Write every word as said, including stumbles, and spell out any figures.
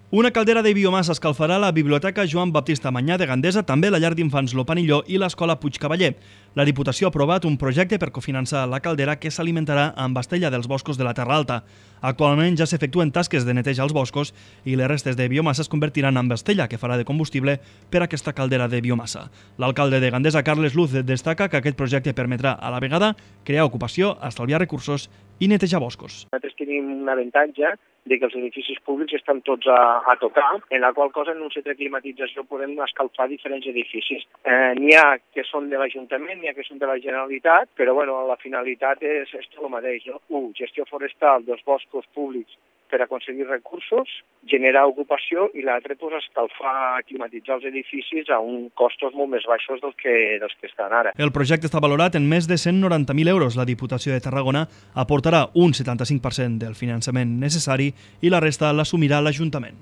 Una caldera de biomassa escalfarà la Biblioteca Joan Baptista Manyà de Gandesa, també la llar d'infants Lopanilló i l'Escola Puigcavaller. La Diputació ha aprovat un projecte per cofinançar la caldera que s'alimentarà amb estella dels boscos de la Terra Alta. Actualment ja s'efectuen tasques de neteja als boscos i les restes de biomassa es convertiran en estella que farà de combustible per a aquesta caldera de biomassa. L'alcalde de Gandesa, Carles Luz, destaca que aquest projecte permetrà a la vegada crear ocupació, estalviar recursos i netejar boscos. Nosaltres tenim un avantatge de que els edificis públics estan tots a, a tocar, en la qual cosa en un centre de climatització podem escalfar diferents edificis. Eh, n'hi ha que són de l'Ajuntament, n'hi ha que són de la Generalitat, però bueno, la finalitat és, és tot el mateix, no? Un, gestió forestal dels boscos públics per aconseguir recursos, generar ocupació i l'altre, pues, escalfar, climatitzar els edificis a uns costos molt més baixos dels que, dels que estan ara. El projecte està valorat en més de cent noranta mil euros. La Diputació de Tarragona aportarà un setanta-cinc per cent del finançament necessari i la resta l'assumirà l'Ajuntament.